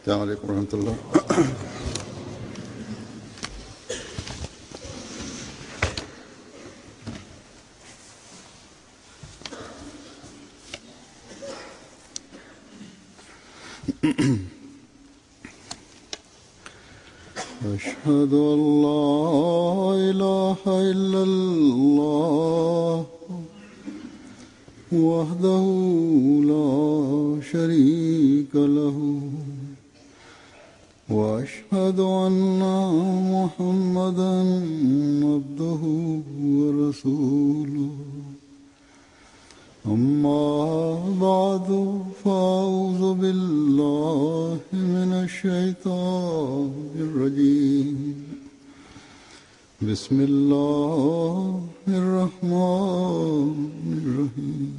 السلام عليكم ورحمة الله. أشهد أن لا إله إلا الله وحده لا شريك له وأشهد أن محمدا عبده ورسوله أما بعد فأعوذ بالله من الشيطان الرجيم بسم الله الرحمن الرحيم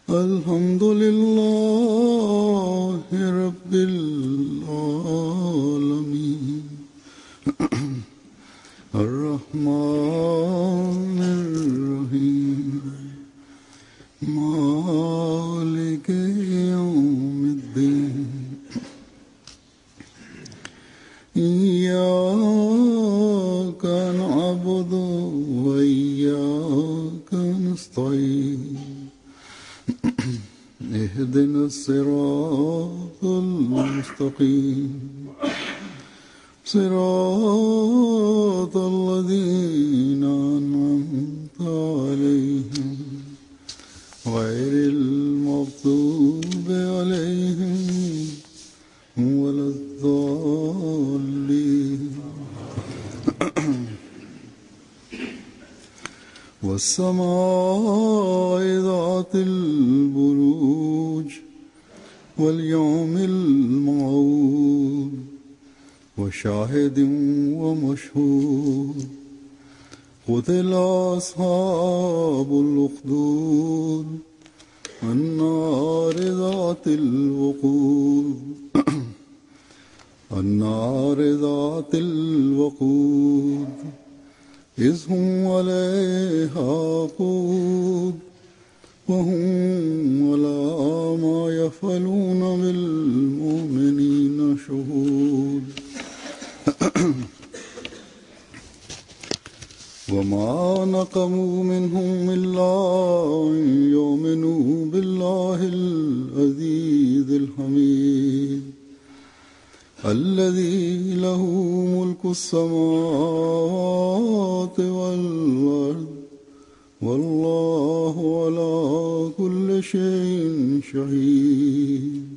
الحمد لله رب العالمين الرحمن الرحيم مالك يوم الدين إياك نعبد وإياك نستعين اهدنا الصراط المستقيم صراط الذين أنعمت عليهم غير المغضوب عليهم ولا الضالين والسماء ذات البروج واليوم الموعود وشاهد ومشهود قتل أصحاب الأخدود النار ذات الوقود النار ذات الوقود إذ هم عليها قود وهم على ما يفعلون بالمؤمنين شهود وما نقموا منهم إلا أن يؤمنوا بالله العزيز الحميد الذي له ملك السماوات والأرض والله على كل شيء شهيد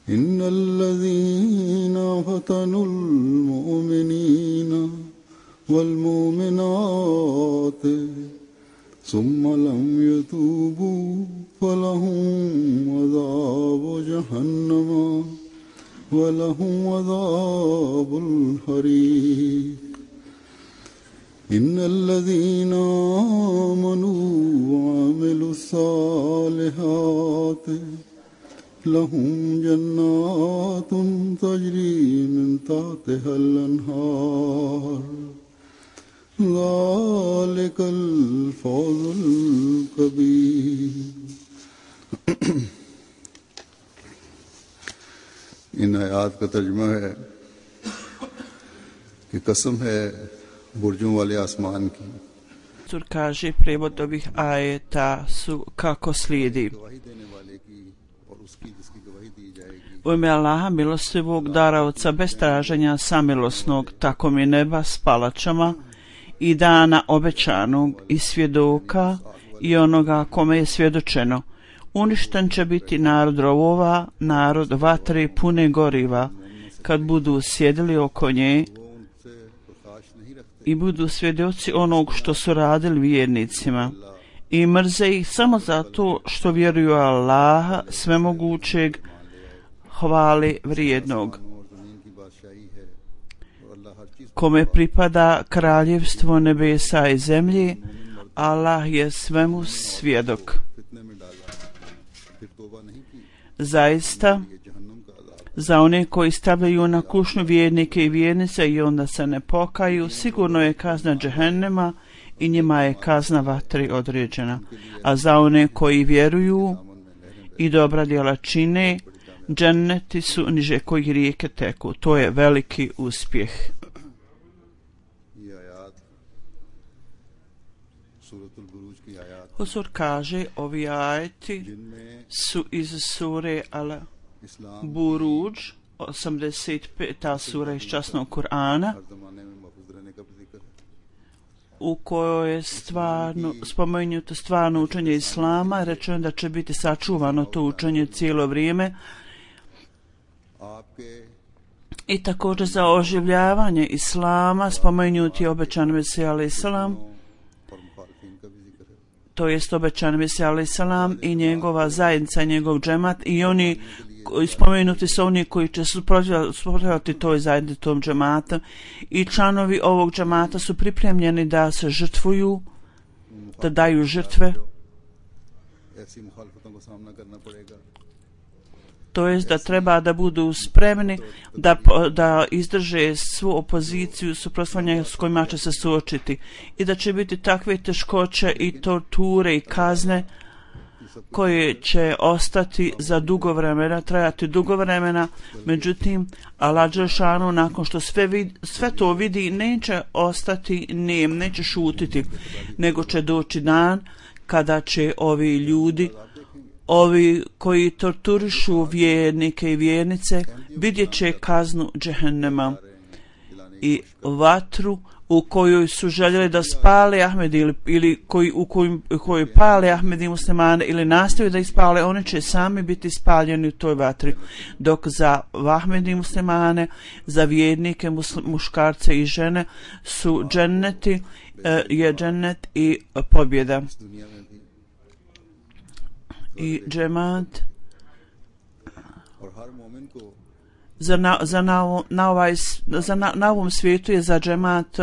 إن الذين فتنوا المؤمنين والمؤمنات ثم لم يتوبوا فلهم عذاب جهنم ولهم عذاب الحريق إن الذين آمنوا وعملوا الصالحات لهم جنات تجري من تحتها الأنهار ذلك الفوز الكبير. इन आयात का तर्जुमा है कि कसम है बुर्जों वाले आसमान की. Kaže prijevod ovih ajeta su kako slijedi. U ime Allaha milostivog, daraoca bez traženja samilosnog, tako mi neba s palačama i dana obećanog i svjedoka i onoga kome je svjedočeno. Uništen će biti narod rovova, narod vatre pune goriva, kad budu sjedili oko nje i budu svjedoci onog što su radili vjernicima i mrze ih samo zato što vjeruju Allaha svemogućeg, hvali vrijednog, kome pripada kraljevstvo nebesa i zemlje. Allah je svemu svjedok. Zaista, za one koji stavljaju na kušnju vjernike i vjernice i onda se ne pokaju, sigurno je kazna džehennema i njima je kazna vatri određena. A za one koji vjeruju i dobra djela čine, dženneti su niže kojih rijeke teku. To je veliki uspjeh. Huzur kaže, ovi ajeti su iz sure Al-Buruđ, 85. sura iz časnog Kur'ana, u kojoj je spomenuto stvarno učenje Islama. Rečeno da će biti sačuvano to učenje cijelo vrijeme i također za oživljavanje Islama spomenuti je obećan Mesija alaih salam, to jest obećan Mesija alaih salam i njegova zajednica, njegov džemat, i oni spomenuti su oni koji će suprotstavljati toj zajednici, tom džematu, i članovi ovog džemata su pripremljeni da se žrtvuju, da daju žrtve, to jest da treba da budu spremni da izdrže svu opoziciju, suprotstavljanja s kojima će se suočiti, i da će biti takve teškoće i torture i kazne koje će ostati za dugo vremena, trajati dugo vremena. Međutim, Allah dželešanu nakon što sve to vidi neće ostati nem, neće šutiti, nego će doći dan kada će ovi ljudi, ovi koji torturišu vjernike i vjernice, vidjet će kaznu džehennema i vatru u kojoj su željeli da spale Ahmedi ili u kojoj pale Ahmedi muslimane ili nastavaju da ispale, oni će sami biti spaljeni u toj vatri, dok za Ahmedi muslimane, za vjernike, muškarce i žene su dženneti, je džennet i pobjeda. I džemat na ovom svijetu je za džemat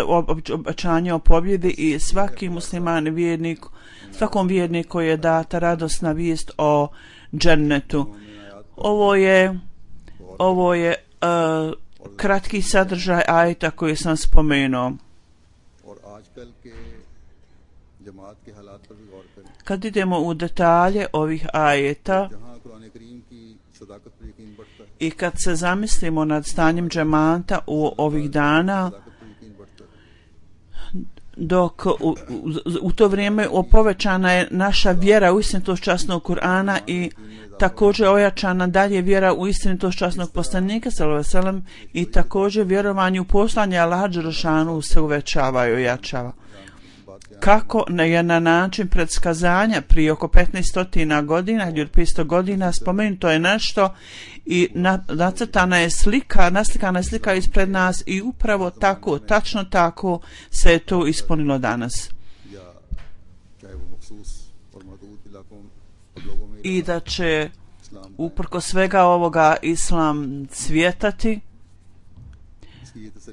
obećanje o pobjedi, i svaki musliman vjernik, svakom vjerniku je data radosna vijest o džennetu. Ovo je kratki sadržaj ajeta koji sam spomenuo. Kad idemo u detalje ovih ajeta i kad se zamislimo nad stanjem džemata u ovih dana, dok u to vrijeme povećana je naša vjera u istinitost časnog Kur'ana i također ojačana dalje vjera u istinitost časnog poslanika sallallahu alejhi ve sellem, i također vjerovanje u poslanje Allaha dželešanu se uvećava i ojačava. Kako je na način predskazanja prije oko 1500 godina ili 500 godina spomenuto je nešto i naslikana je slika ispred nas, i upravo tako, tačno tako se je to ispunilo danas. I da će uprko svega ovoga Islam cvjetati.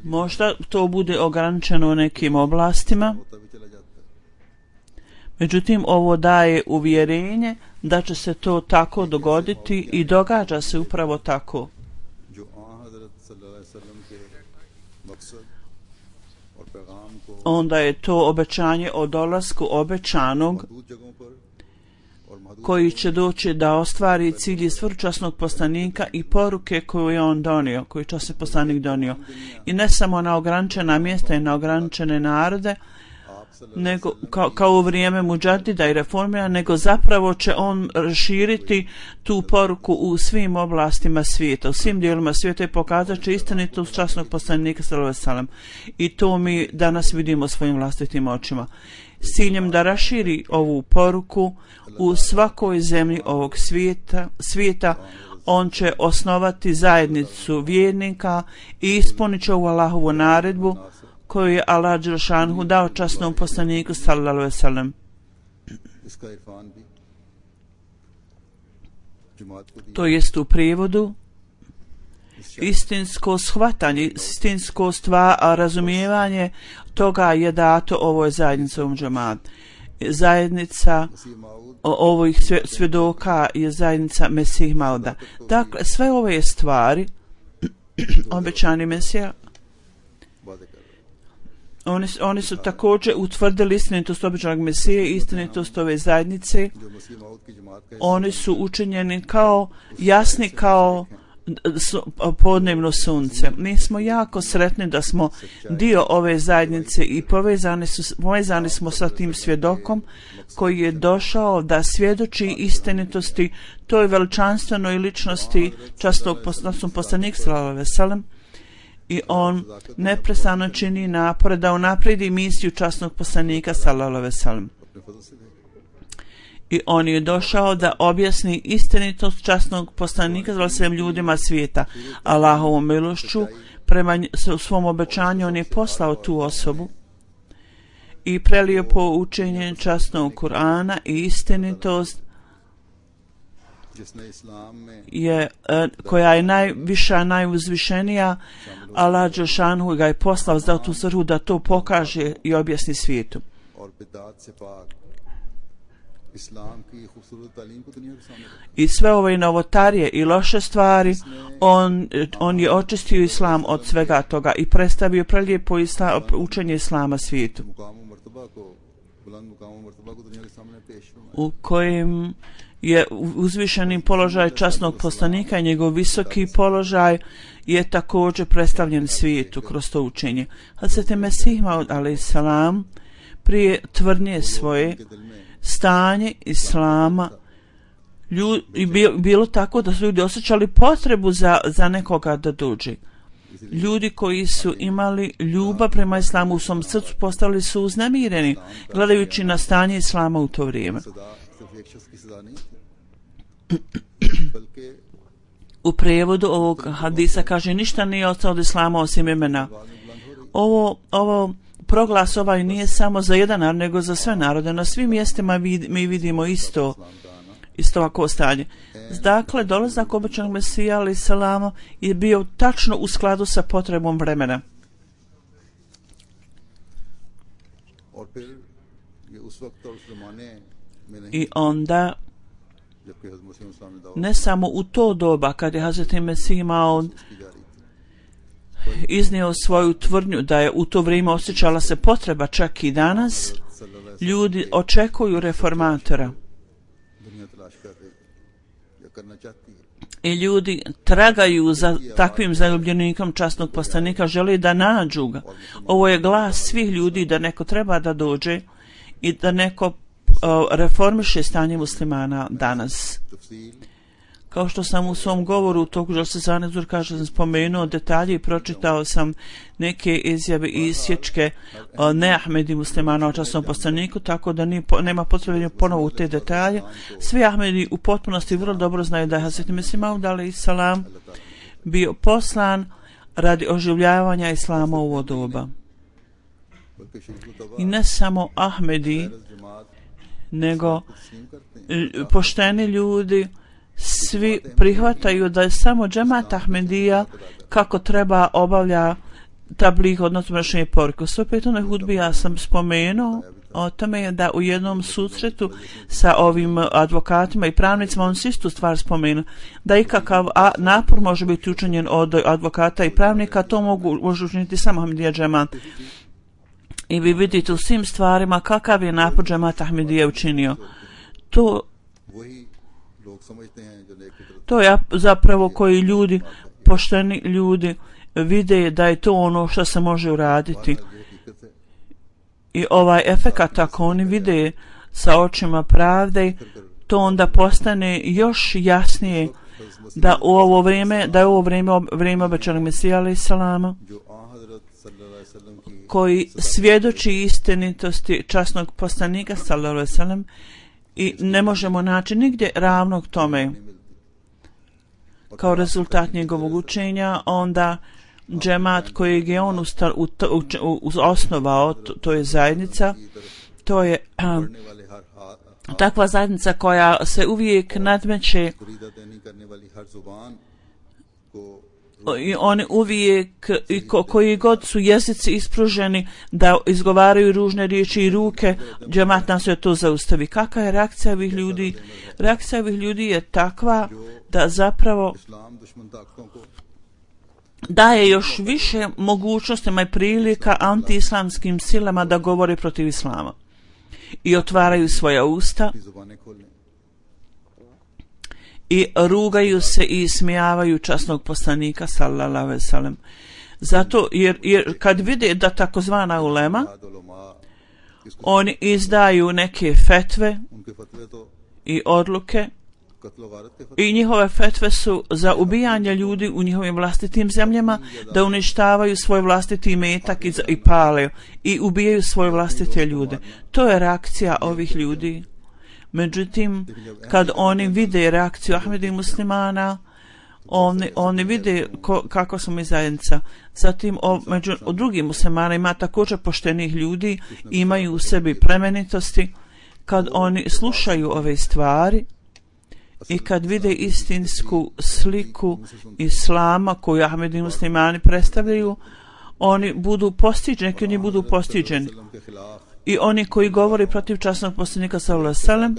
Možda to bude ograničeno u nekim oblastima, međutim ovo daje uvjerenje da će se to tako dogoditi i događa se upravo tako. Onda je to obećanje o dolasku obećanog koji će doći da ostvari cilj svrčasnog poslanika i poruke koju je on donio, koju je časni poslanik donio. I ne samo na ograničena mjesta i na ograničene narode, nego kao u vrijeme muđadida i reformira, nego zapravo će on širiti tu poruku u svim oblastima svijeta, u svim dijelima svijeta, i pokazat će istinitost časnog poslanika sallallahu alejhi ve sellem. I to mi danas vidimo svojim vlastitim očima. S ciljem da raširi ovu poruku u svakoj zemlji ovog svijeta, on će osnovati zajednicu vjernika i ispunit će ovu Allahovu naredbu koju je Allah dželešanu dao časnom poslaniku sallallahu alejhi ve sellem. To jest u prijevodu istinsko shvatanje, istinsko razumijevanje toga je dato ovoj zajednici, ovom džematu. Zajednica ovih svjedoka je zajednica Mesih Mauda. Dakle, sve ove stvari obećani Mesija Oni su također utvrdili istinitost obećanog Mesije, istinitost ove zajednice. Oni su učinjeni kao jasni kao podnevno sunce. Mi smo jako sretni da smo dio ove zajednice i povezani smo sa tim svjedokom koji je došao da svjedoči istinitosti toj veličanstvenoj ličnosti časnog poslanika sallallahu alejhi ve sellem. I on neprestano čini napore da unaprijedi misiju časnog poslanika sallallahu alejhi ve sellem. I on je došao da objasni istinitost časnog poslanika sallallahu alejhi ve sellem ljudima svijeta. Allahovom milošću prema svom obećanju on je poslao tu osobu i prelio poučenje časnog Kur'ana i istinitost koja je najviša, najuzvišenija. Allah dželešanu ga je poslao za tu svrhu da to pokaže i objasni svijetu. I sve ove novotarije i loše stvari on je očistio islam od svega toga i predstavio prelijepo učenje islama svijetu, u kojem je uzvišeni položaj časnog poslanika i njegov visoki položaj je također predstavljen svijetu kroz to učenje. Hazreti Mesih Maud alejselam prije tvrdnje svoje stanje islama bilo tako da su ljudi osjećali potrebu za nekoga da dođe. Ljudi koji su imali ljubav prema islamu u svom srcu postali su uznemireni gledajući na stanje islama u to vrijeme. U prijevodu ovog hadisa kaže: ništa nije ostalo od islama osim imena. Ovo proglas ovaj nije samo za jedan narod, nego za sve narode. Na svim mjestima mi vidimo isto ovako stanje. Dakle, dolazak obećanog Mesija alejhi selam je bio tačno u skladu sa potrebom vremena. I onda ne samo u to doba kad je Hazreti Mesih Maud iznio svoju tvrdnju da je u to vrijeme osjećala se potreba, čak i danas ljudi očekuju reformatora i ljudi tragaju za takvim zaljubljenikom časnog poslanika, žele da nađu ga. Ovo je glas svih ljudi da neko treba da dođe i da neko reformiše stanje muslimana danas. Kao što sam u svom govoru u toku Želse kaže, sam spomenuo detalje i pročitao sam neke izjave i isječke neahmedi muslimana o časnom poslaniku, tako da nema potrebe ponovo u te detalje. Svi Ahmedi u potpunosti vrlo dobro znaju da je Hazreti Mesih Maud alejselam bio poslan radi oživljavanja islama u ovo doba. I ne samo Ahmedi, nego pošteni ljudi svi prihvataju da je samo džemat Ahmedija kako treba obavlja tabligh, odnosno prenošenje poruke. U svoj petoj hudbi ja sam spomenuo o tome da u jednom susretu sa ovim advokatima i pravnicima on si istu stvar spomenuo, da ikakav napor može biti učinjen od advokata i pravnika, to može učiniti samo Ahmedija džemat. I vi vidite u svim stvarima kakav je napor džemat Ahmedija učinio. To je zapravo koji ljudi, pošteni ljudi, vide da je to ono što se može uraditi. I ovaj efekat, ako oni vide sa očima pravde, to onda postane još jasnije da u ovo vrijeme, da je ovo vrijeme obećanog Mesija alejselama, koji svjedoči istinitosti časnog poslanika sallallahu alejhi ve sellem, i ne možemo naći nigdje ravnog tome. Kao rezultat njegovog učenja, onda džemat kojeg je on osnovao, to je zajednica, to je takva zajednica koja se uvijek nadmeće i oni uvijek, koji god su jezici ispruženi da izgovaraju ružne riječi i ruke, džemat nas je to zaustavi. Kakva je reakcija ovih ljudi? Reakcija ovih ljudi je takva da zapravo daje još više mogućnostima i prilika antiislamskim silama da govore protiv islama i otvaraju svoja usta i rugaju se i ismijavaju časnog poslanika sallallahu alejhi ve sellem. Zato jer kad vide da takozvana ulema oni izdaju neke fetve i odluke i njihove fetve su za ubijanje ljudi u njihovim vlastitim zemljama, da uništavaju svoj vlastiti imetak i pale i ubijaju svoje vlastite ljude. To je reakcija ovih ljudi. Međutim, kad oni vide reakciju Ahmedi muslimana, oni vide kako smo mi zajednica. Zatim među drugim muslimana ima također poštenih ljudi, imaju u sebi plemenitosti. Kad oni slušaju ove stvari i kad vide istinsku sliku islama koju Ahmedi muslimani predstavljaju, oni budu postiđeni, neki oni budu postiđeni. I oni koji govori protiv časnog poslanika sallallahu alejhi ve sellem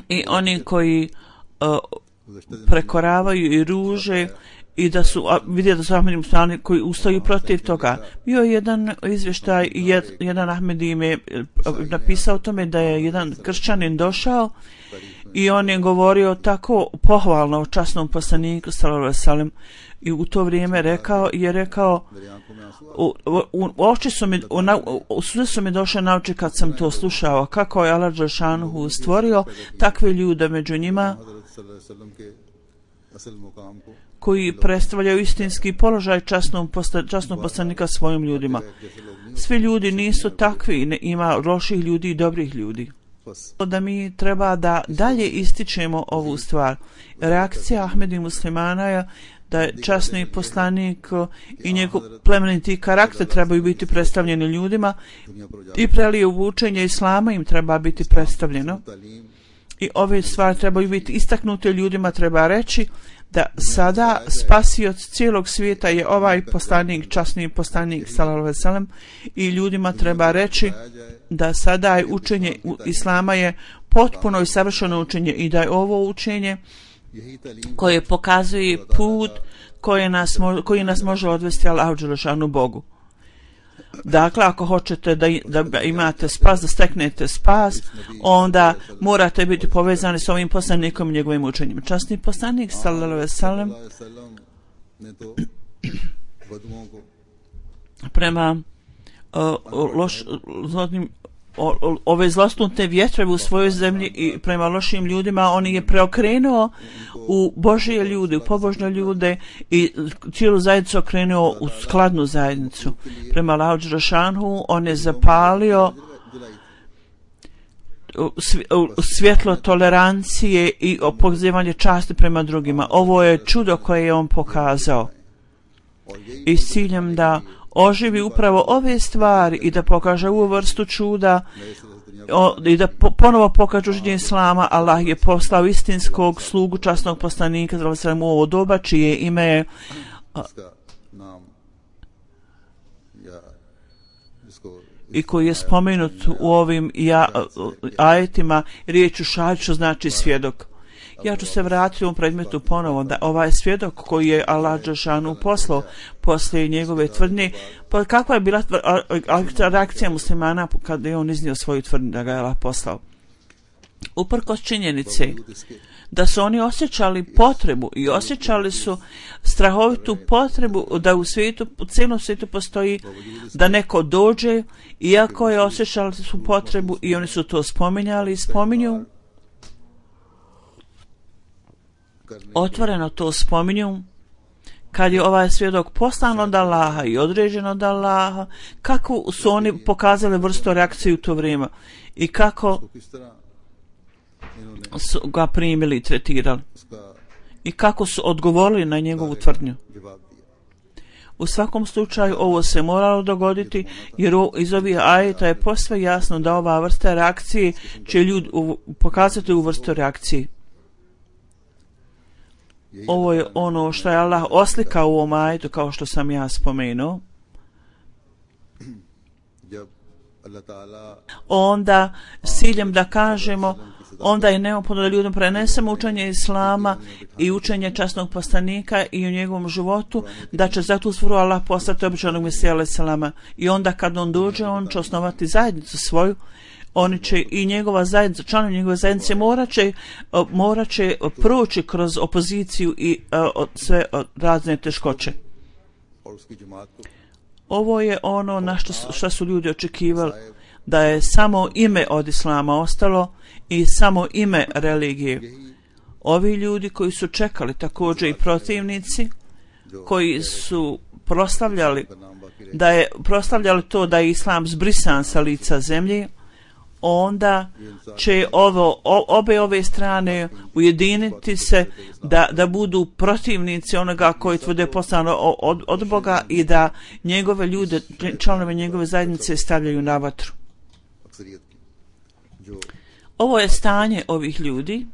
i oni koji prekoravaju i ruže i da su vidjeli da su Ahmedi muslimani koji ustaju protiv toga. Bio je jedan izvještaj, jedan Ahmedi im je napisao o tome da je jedan kršćanin došao i on je govorio tako pohvalno o časnom poslaniku sallallahu alejhi ve sellem i u to vrijeme rekao suze su mi došle na oči kad sam to slušao, kako je Allah dželšanuhu stvorio takve ljude među njima koji predstavljaju istinski položaj časnog poslanika svojim ljudima. Svi ljudi nisu takvi, ima loših ljudi i dobrih ljudi. Da mi treba da dalje ističemo ovu stvar. Reakcija Ahmedi muslimana je da je časni poslanik i njegov plemeniti karakter trebaju biti predstavljeni ljudima i prelije učenje islama im treba biti predstavljeno. I ove stvari trebaju biti istaknute ljudima, treba reći da sada spasioc cijelog svijeta je ovaj poslanik, časni poslanik sallallahu alejhi ve sellem i ljudima treba reći da sada je učenje islama je potpuno i savršeno učenje i da je ovo učenje koje pokazuje put koji nas može odvesti Allahu dželešanu Bogu. Dakle, ako hoćete da imate spas, da steknete spas, onda morate biti povezani s ovim poslanikom i njegovim učenjem. Časni poslanik sallallahu alejhi ve sellem prema ove zlosnute vjetrove u svojoj zemlji i prema lošim ljudima, on je preokrenuo u Božije ljude, u pobožne ljude i cijelu zajednicu okrenuo u skladnu zajednicu. Prema Allahu dželešanu on je zapalio svjetlo tolerancije i pokazivanje časti prema drugima. Ovo je čudo koje je on pokazao i s ciljem da oživi upravo ove stvari i da pokaže ovu vrstu čuda i da ponovo pokaže učenje islama. Allah je poslao istinskog slugu časnog poslanika sallallahu alejhi ve sellem u ovo doba čije ime je i koji je spomenut u ovim ajetima riječu šahid, što znači svjedok. Ja ću se vratiti u ovom predmetu ponovo, da ovaj svjedok koji je Allah dželešanu poslao poslije njegove tvrdnje, pa kakva je bila reakcija muslimana kada je on iznio svoju tvrdnju da ga je Allah poslao? Uprkos činjenice da su oni osjećali potrebu i osjećali su strahovitu potrebu da u cijelom svijetu postoji da neko dođe, iako je osjećali su potrebu i oni su to spominjali i spominju, otvoreno to spominju, kad je ovaj svjedok poslan od Allaha i određen od Allaha, kako su oni pokazali vrstu reakcije u to vrijeme i kako su ga primili i tretirali i kako su odgovorili na njegovu tvrdnju. U svakom slučaju ovo se moralo dogoditi, jer iz ovih ajeta je posve jasno da ova vrsta reakcije će ljudi pokazati u vrstu reakcije. Ovo je ono što je Allah oslikao u ovom ajetu, kao što sam ja spomenuo. Onda s ciljem da kažemo onda je neophodno da ljudima prenesemo učenje Islama i učenje časnog poslanika i u njegovom životu, da će za tu svrhu Allah poslati običanog Mesija alejhi selama. I onda kad on dođe, on će osnovati zajednicu svoju. Oni će i njegova zajednica, članovi njegove zajednice morat će proći kroz opoziciju i sve razne teškoće. Ovo je ono na što su ljudi očekivali, da je samo ime od Islama ostalo i samo ime religije. Ovi ljudi koji su čekali, također i protivnici, koji su proslavljali to da je Islam zbrisan sa lica zemlje, onda će obe ove strane ujediniti se da budu protivnici onoga koji tvrde poslano od Boga i da njegove ljude, članove njegove zajednice stavljaju na vatru. Ovo je stanje ovih ljudi,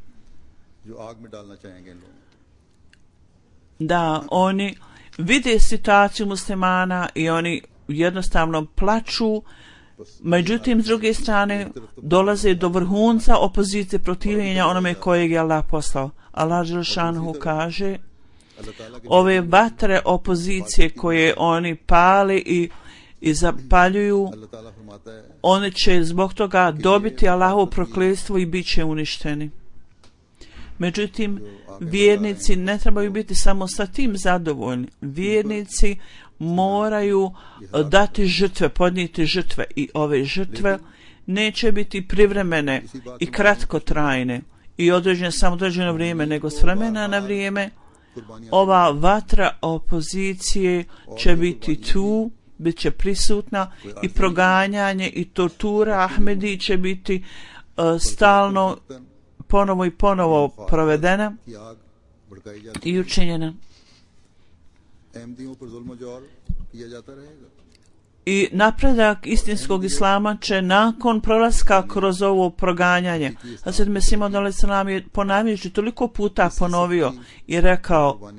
da oni vide situaciju muslimana i oni jednostavno plaču. Međutim, s druge strane, dolaze do vrhunca opozicije, protivljenja onome kojeg je Allah poslao. Allah dželešanohu kaže, ove vatre opozicije koje oni pali i zapaljuju, oni će zbog toga dobiti Allahovo prokletstvo i bit će uništeni. Međutim, vjernici ne trebaju biti samo sa tim zadovoljni. Vjernici moraju dati žrtve, podnijeti žrtve, i ove žrtve neće biti privremene i kratkotrajne i određene samo određeno vrijeme, nego s vremena na vrijeme ova vatra opozicije će biti tu, bit će prisutna, i proganjanje i tortura Ahmedi će biti stalno ponovo i ponovo provedena i učinjena. I napredak istinskog Islama će nakon prolaska kroz ovo proganjanje. Hazret Mesih Maud alejhi selam je ponavljajući toliko puta ponovio i rekao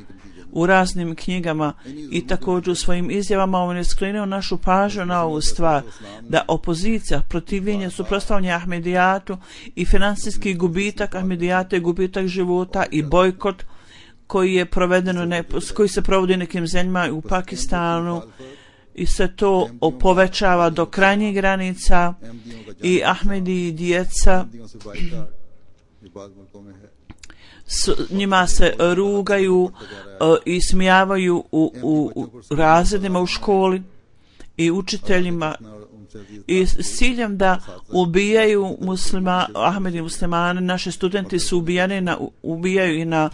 u raznim knjigama i također u svojim izjavama, on je skrenuo našu pažnju na ovu stvar, da opozicija, protivljenje, suprotstavljanje Ahmedijatu i financijski gubitak Ahmedijata i gubitak života i bojkot koji je provedeno, koji se provodi nekim zemljama u Pakistanu, i se to povećava do krajnjih granica, i Ahmedi i djeca njima se rugaju i smijavaju u razredima u školi i učiteljima, i s ciljem da ubijaju Ahmedi muslimane. Naši studenti su ubijaju i na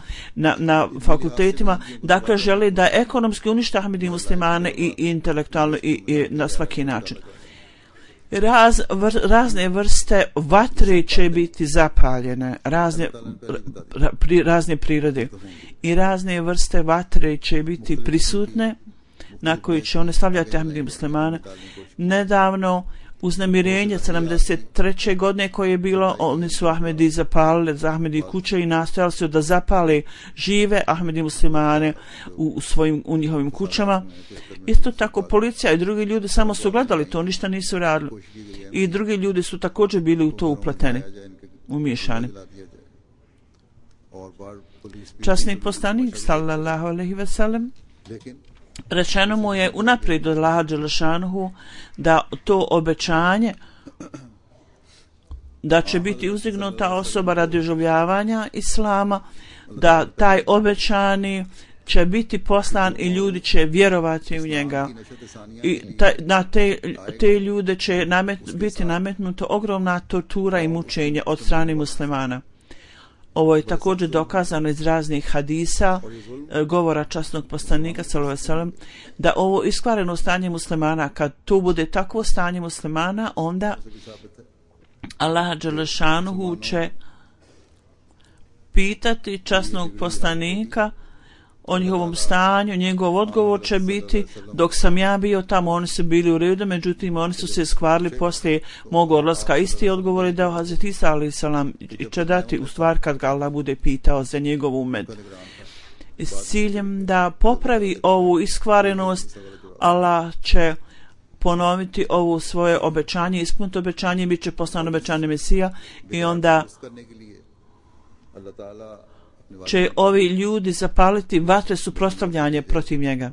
fakultetima, dakle žele da ekonomski unište Ahmedi muslimane i intelektualno i na svaki način. Razne vrste vatre će biti zapaljene, razne prirode, i razne vrste vatre će biti prisutne na koji će one stavljati Ahmedi muslimane. Nedavno uznemirenje 73. godine koje je bilo, oni su Ahmedi zapalili za Ahmedi kuće i nastojali su da zapale žive Ahmedi muslimane u njihovim kućama. Isto tako policija i drugi ljudi samo su gledali to, ništa nisu radili, i drugi ljudi su također bili u to upleteni, umiješani. Časni poslanik sallallahu alejhi ve sellem, rečeno mu je unaprijed od Allaha dželešanuhu da to obećanje da će biti uzdignuta osoba radi oživljavanja Islama, da taj obećani će biti poslan i ljudi će vjerovati u njega, i na te ljude će biti nametnuta ogromna tortura i mučenje od strane muslimana. Ovo je također dokazano iz raznih hadisa, govora časnog poslanika sallallahu alejhi ve sellem, da ovo iskvareno stanje muslimana, kad to bude takvo stanje muslimana, onda Allah dželešanuhu će pitati časnog poslanika o njihovom stanju. Njegov odgovor će biti: dok sam ja bio tamo, oni su bili u redu, međutim oni su se skvarili poslije mog odlaska. Isti odgovor je dao Hazret Isa alejhi selam i će dati u stvar kad ga Allah bude pitao za njegov umet. S ciljem da popravi ovu iskvarenost, Allah će ponoviti ovo svoje obećanje, ispuniti obećanje, bit će poslan obećani Mesija i onda će ovi ljudi zapaliti vatre suprotstavljanje protiv njega.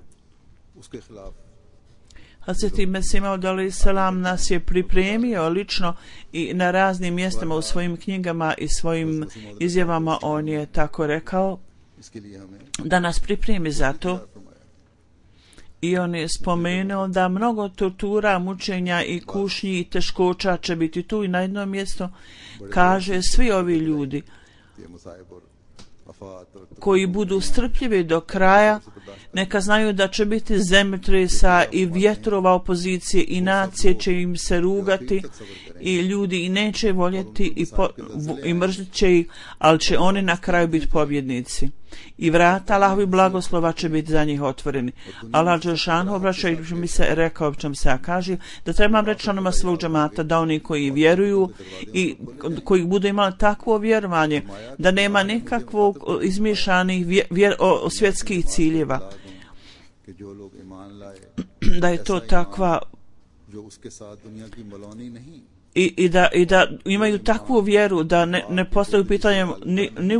Hazreti Mesih Maud alejhi selam nas je pripremio lično i na raznim mjestima u svojim knjigama i svojim izjavama. On je tako rekao da nas pripremi za to. I on je spomenuo da mnogo tortura, mučenja i kušnji i teškoća će biti tu i na jednom mjestu kaže svi ovi ljudi koji budu strpljivi do kraja, neka znaju da će biti zemljotresa i vjetrova opozicije i nacije će im se rugati i ljudi i neće voljeti i mrzit će ih, ali će oni na kraju biti pobjednici. I vrata Allahovi blagoslova će biti za njih otvoreni. Allah dželešanu obraćajući mi se rekao čem se kaže da trebam reći onima svog džemata da oni koji vjeruju i koji budu imali takvo vjerovanje da nema nikakvog izmišljanih svjetskih ciljeva, da je to takva i da imaju takvu vjeru da ne postavljaju pitanje ni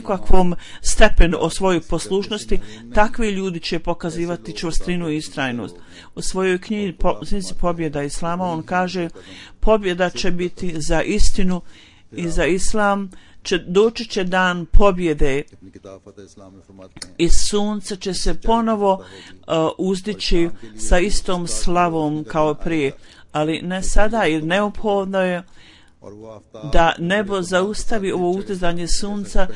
u kakvom stepenu o svojoj poslušnosti. Takvi ljudi će pokazivati čvrstinu i istrajnost. U svojoj knjizi Pobjeda Islama on kaže pobjeda će biti za istinu i za Islam. Doći će dan pobjede i sunce će se ponovo uzdići sa istom slavom kao prije, ali ne sada, jer neophodno je da nebo zaustavi ovo uzdizanje sunca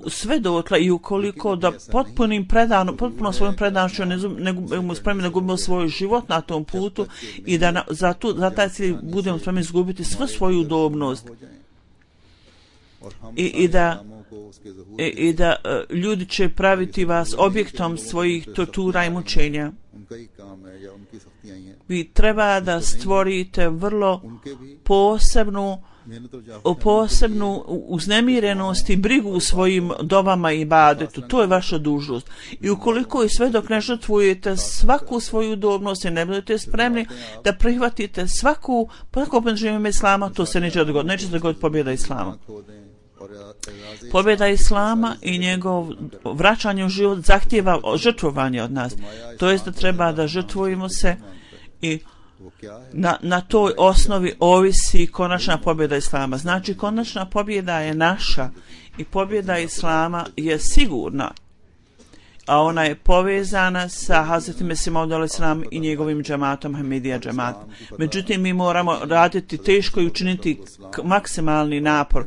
sve dotle i ukoliko da potpuno svojom predanošću ne budemo spremni da gubimo svoj život na tom putu i da za taj cilj budemo spremni izgubiti svu svoju udobnost. I da ljudi će praviti vas objektom svojih tortura i mučenja. Vi treba da stvorite vrlo posebnu uznemirenost i brigu u svojim dovama i ibadetu. To je vaša dužnost. I ukoliko i sve dok ne žrtvujete svaku svoju udobnost i ne budete spremni da prihvatite svaku poniženje Islama, to se neće dogoditi. Neće se dogoditi pobjeda Islama. Pobjeda Islama i njegov vraćanje u život zahtijeva žrtvovanje od nas. To jest da treba da žrtvujemo se i na toj osnovi ovisi konačna pobjeda Islama. Znači konačna pobjeda je naša i pobjeda Islama je sigurna, a ona je povezana sa Hazretim Mesihom Maud alejhi selam i njegovim džematom, Ahmedija džematom. Međutim, mi moramo raditi teško i učiniti maksimalni napor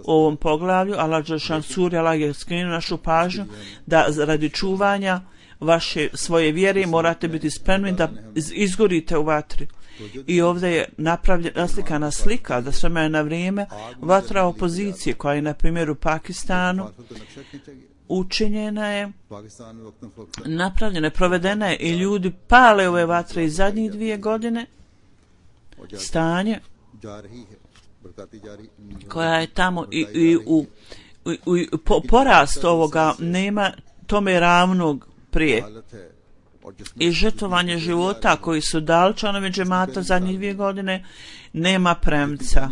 u ovom poglavlju. Allah dželešan suri, Allah je skrenuo našu pažnju da radi čuvanja svoje vjere morate biti spremni da izgorite u vatri. I ovdje je naslikana slika da s vremena na vrijeme vatra opozicije koja je na primjer u Pakistanu učinjena je, napravljena, provedena je i ljudi pale ove vatre i zadnjih 2 godine. Stanje koja je tamo i porast ovoga nema tome ravnog prije. I žrtvovanje života koji su dali članovi džemata zadnjih 2 godine nema premca.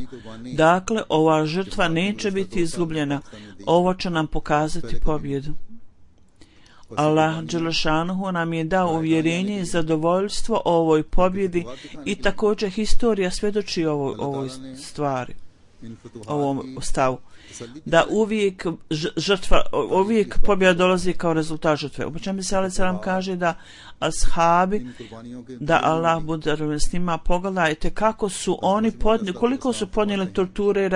Dakle, ova žrtva neće biti izgubljena. Ovo će nam pokazati pobjedu. Allah dželešanuhu nam je dao uvjerenje i zadovoljstvo o ovoj pobjedi i također historija svjedoči ovoj stvari, ovom stavu. Da uvijek pobjeda dolazi kao rezultat žrtve. U čemu se alejhi selam kaže da ashabi, da Allah bude s njima, pogledajte kako su oni koliko su podnijeli torture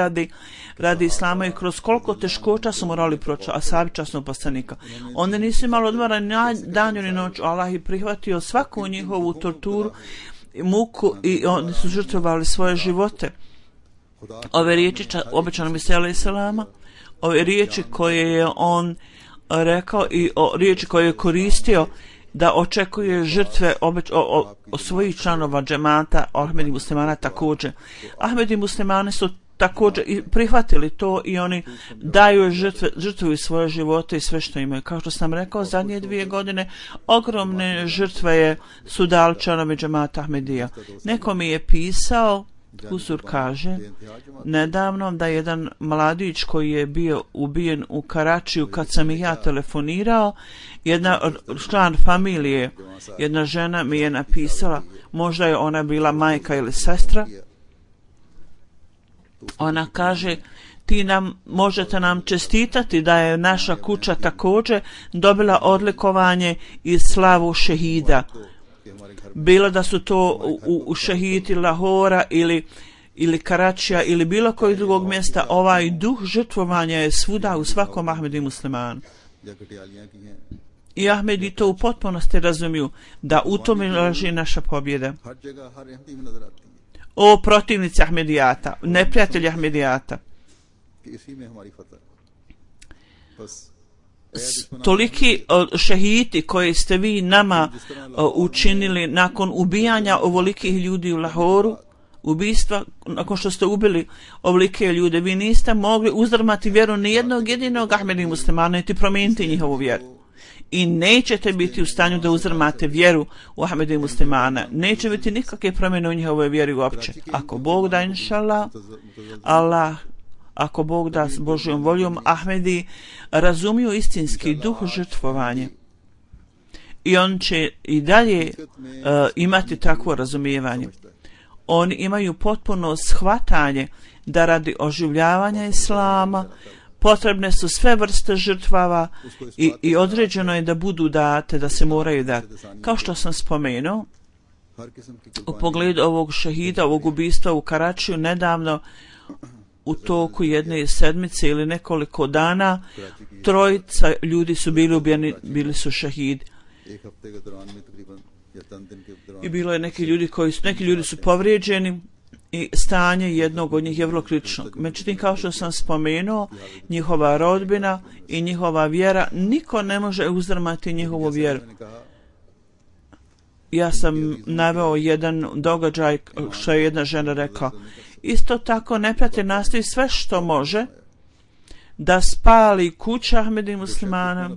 radi Islama i kroz koliko teškoća su morali proći ashabi časnog poslanika. Oni nisu imali odmora ni danju ni noć. Allah je prihvatio svaku njihovu torturu, muku i oni su žrtvovali svoje živote. Ove riječi obećano Mesija alejhi selama, ove riječi koje je on rekao i riječi koje je koristio da očekuje žrtve od svojih članova džemata, Ahmedi muslimana također. Ahmedi muslimani su također i prihvatili to i oni daju žrtvuju svoje živote i sve što imaju. Kao što sam rekao, zadnje 2 godine ogromne žrtve su dali članovi džemata Ahmedija. Neko mi je pisao, Huzur kaže, nedavno da jedan mladić koji je bio ubijen u Karačiju, kad sam i ja telefonirao, jedna član familije, jedna žena mi je napisala, možda je ona bila majka ili sestra, ona kaže, možete nam čestitati da je naša kuća također dobila odlikovanje i slavu šehida. Bilo da su to u šehidi Lahora ili Karačija ili bilo kojeg drugog mjesta, ovaj duh žrtvovanja je svuda u svakom Ahmedi muslimanu. I Ahmedi to u potpunosti razumiju, da u tome leži naša pobjeda. O protivnici Ahmedijata, neprijatelji Ahmedijata. Toliki šehidi koji ste vi nama učinili nakon ubijanja ovolikih ljudi u Lahoru, ubistva, nakon što ste ubili ovolike ljude, vi niste mogli uzdrmati vjeru nijednog jedinog Ahmedi muslimana niti promijeniti njihovu vjeru. I nećete biti u stanju da uzdrmate vjeru u Ahmedi muslimana. Neće biti nikakve promjene u njihovoj vjeri uopće. Ako Bog da, inšallah, ako Bog da s Božjom voljom, Ahmedi razumiju istinski duh žrtvovanja. I on će i dalje imati takvo razumijevanje. Oni imaju potpuno shvatanje da radi oživljavanja Islama potrebne su sve vrste žrtvava i određeno je da budu date, da se moraju dati. Kao što sam spomenuo, u pogledu ovog šehida, ovog ubistva u Karačiju, nedavno u toku jedne sedmice ili nekoliko dana 3 ljudi su bili ubijeni, bili su šehidi. I bilo je neki ljudi su povrijeđeni i stanje jednog od njih je vrlo kritično. Međutim, kao što sam spomenuo, njihova rodbina i njihova vjera, niko ne može uzdrmati njihovu vjeru. Ja sam naveo jedan događaj što je jedna žena rekla. Isto tako neprijatelj nastoji sve što može da spali kuća Ahmedi muslimana.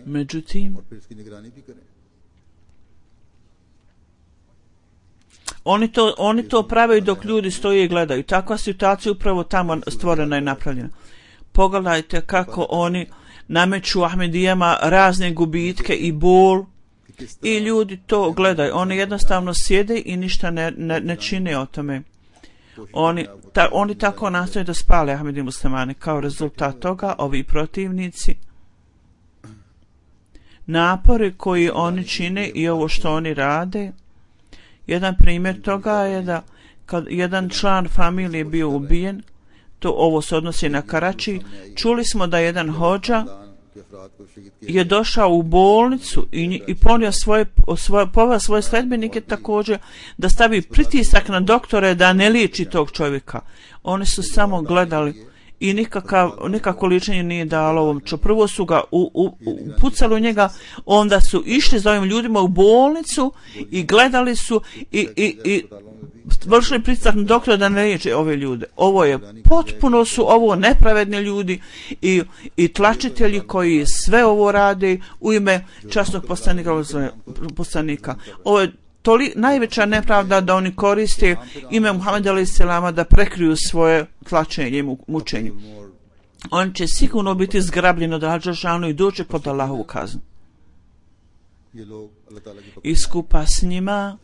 Međutim, oni to prave dok ljudi stoje i gledaju. Takva situacija upravo tamo stvorena i napravljena. Pogledajte kako oni nameću Ahmedijama razne gubitke i bol i ljudi to gledaju. Oni jednostavno sjede i ništa ne čine o tome. Oni tako nastoje da spale Ahmedi muslimane. Kao rezultat toga, ovi protivnici, napori koji oni čine i ovo što oni rade, jedan primjer toga je da kad jedan član familije bio ubijen, ovo se odnosi na Karači, čuli smo da jedan hodža je došao u bolnicu i ponio poveo svoje sledbenike također da stavi pritisak na doktore da ne liječi tog čovjeka. Oni su samo gledali i nikako liječenje nije dalo ovom čo. Prvo su ga pucali u njega, onda su išli za ovim ljudima u bolnicu i gledali su i vršili pritisak na doktora da ne liječe ove ljude. Potpuno su ovo nepravedni ljudi i tlačitelji koji sve ovo rade u ime časnog poslanika. Ovo je najveća nepravda da oni koriste ime Muhameda a.s. da prekriju svoje tlačenje i mučenje. On će sigurno biti zgrabljen od Al-Đelešanu i doći pod Allahovu kaznu. I skupa s njima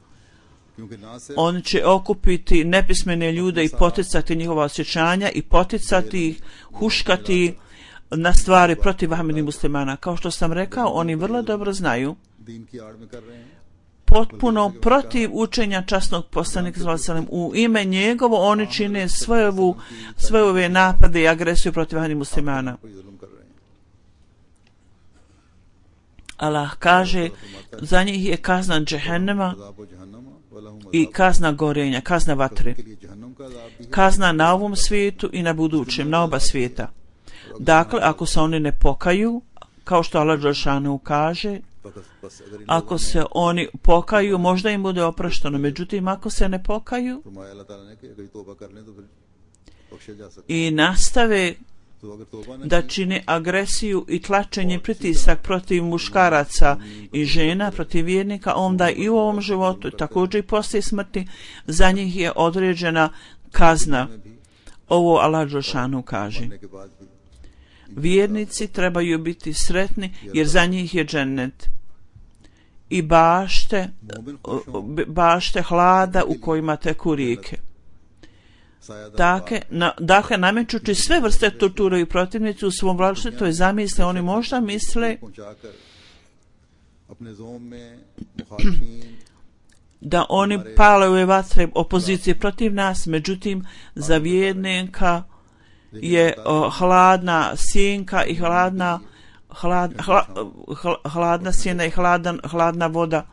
on će okupiti nepismene ljude i poticati njihova osjećanja i poticati ih, huškati na stvari protiv Ahmedi muslimana. Kao što sam rekao, oni vrlo dobro znaju potpuno protiv učenja časnog poslanika u ime njegovo oni čine sve ove napade i agresiju protiv Ahmedi muslimana. Allah kaže, za njih je kazna džehennema i kazna gorenja, kazna vatre. Kazna na ovom svijetu i na budućem, na oba svijeta. Dakle, ako se oni ne pokaju, kao što Allah Đelešanu kaže, Ako se oni pokaju, možda im bude oprošteno. Međutim, ako se ne pokaju i nastave da čine agresiju i tlačenje pritisak protiv muškaraca i žena, protiv vjernika, onda i u ovom životu, također i poslije smrti, za njih je određena kazna. Ovo Allah dželešanu kaže. Vjernici trebaju biti sretni jer za njih je džennet i bašte hlada u kojima teku rijeke. Dakle, namećući sve vrste torture i protivnici u svom vlastitoj zamisli, oni možda misle da oni pale ove vatre opozicije protiv nas, međutim za vjernika je hladna sjenka i hladna sjena i hladna voda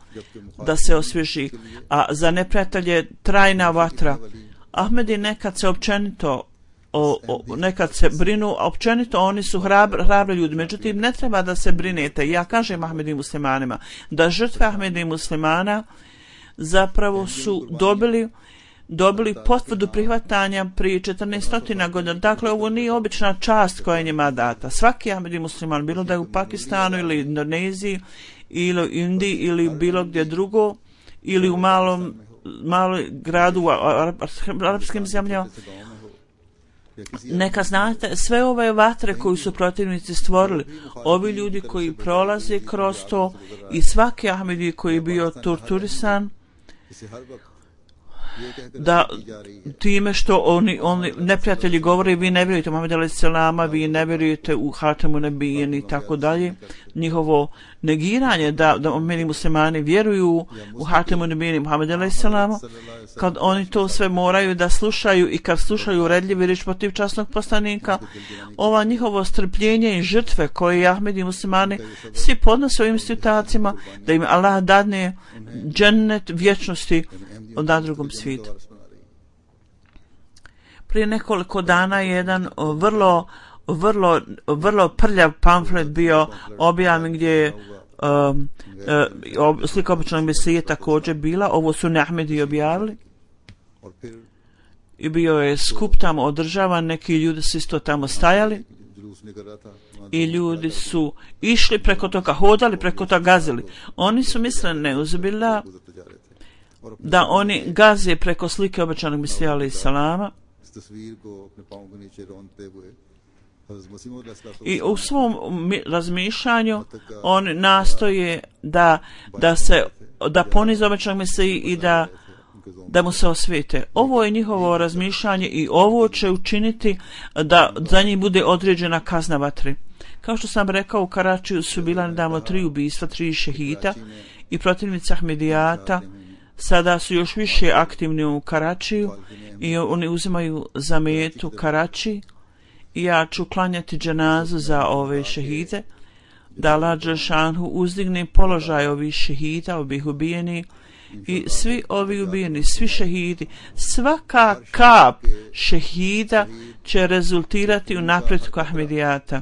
da se osvježi, a za neprijatelje trajna vatra. Ahmedi nekad se općenito nekad se brinu, općenito oni su hrabri ljudi, međutim ne treba da se brinete. Ja kažem Ahmedi muslimanima da žrtve Ahmedi muslimana zapravo su dobili potvrdu prihvatanja prije 1400 godina. Dakle, ovo nije obična čast koja je njima data. Svaki Ahmedi musliman, bilo da je u Pakistanu ili Indoneziji ili u Indiji ili bilo gdje drugo ili u malom gradu u arapskim zemljama, neka znate sve ove vatre koju su protivnici stvorili, ovi ljudi koji prolaze kroz to i svaki Ahmedi koji je bio torturisan, da time što oni neprijatelji govore vi ne vjerujete u Muhameda alejhi selama, vi ne vjerujete u Hatamun Nebiyin i tako dalje, njihovo negiranje da meni muslimani vjeruju u Hatamun Nebiyin i Muhameda alejhi selama, kad oni to sve moraju da slušaju i kad slušaju redljivi riječ protiv časnog poslanika, ova njihovo strpljenje i žrtve koje Ahmedi muslimani svi podnose ovim situacima, da im Allah dadne džennet vječnosti na drugom svijetu. Prije nekoliko dana je jedan vrlo prljav pamflet bio objavljen gdje je slika običnog Mesije također bila. Ovo su Ahmedi objavili i bio je skup tamo održavan, neki ljudi su isto tamo stajali i ljudi su išli preko toga, hodali preko toga, gazili. Oni su mislili neuzbillah da oni gaze preko slike obećanog Mesija alejhi salama i u svom razmišljanju oni nastoje da ponize obećanog Mesiji i da mu se osvete. Ovo je njihovo razmišljanje i ovo će učiniti da za njih bude određena kazna vatri. Kao što sam rekao, u Karačiju su bila nedavno 3 ubistva, 3 šehita i protivnici Ahmedijata sada su još više aktivni u Karačiju i oni uzimaju za metu Karači i ja ću klanjati dženazu za ove šehide, da Allah dželešanu uzdigne položaj ovih šehida, ovih ubijenih i svi ovi ubijeni, svi šehidi, svaka kap šehida će rezultirati u napretku Ahmedijata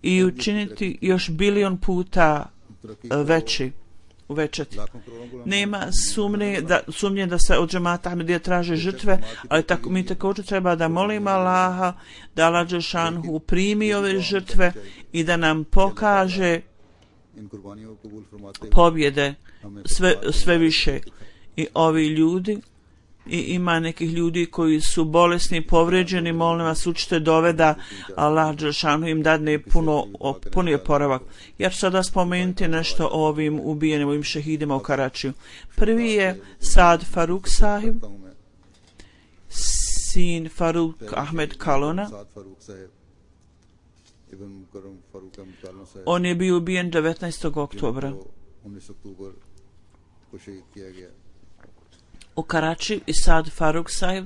i učiniti još bilion puta uvećati. Nema sumnje da se od džemata Ahmedija traže žrtve, ali mi također treba da molimo Allaha da Allah dželešanu primi ove žrtve i da nam pokaže pobjede sve više. I ovi ljudi, i ima nekih ljudi koji su bolesni, povređeni, molim vas učite dove da Allah dželešanu im dadne puni oporavak. Ja ću sada spomenuti nešto o ovim ubijenim, ovim šehidima u Karačiju. Prvi je Saad Faruk sahib, sin Faruk Ahmed Kalona. On je bio ubijen 19. oktobra u Karači. I Saad Faruk sahib,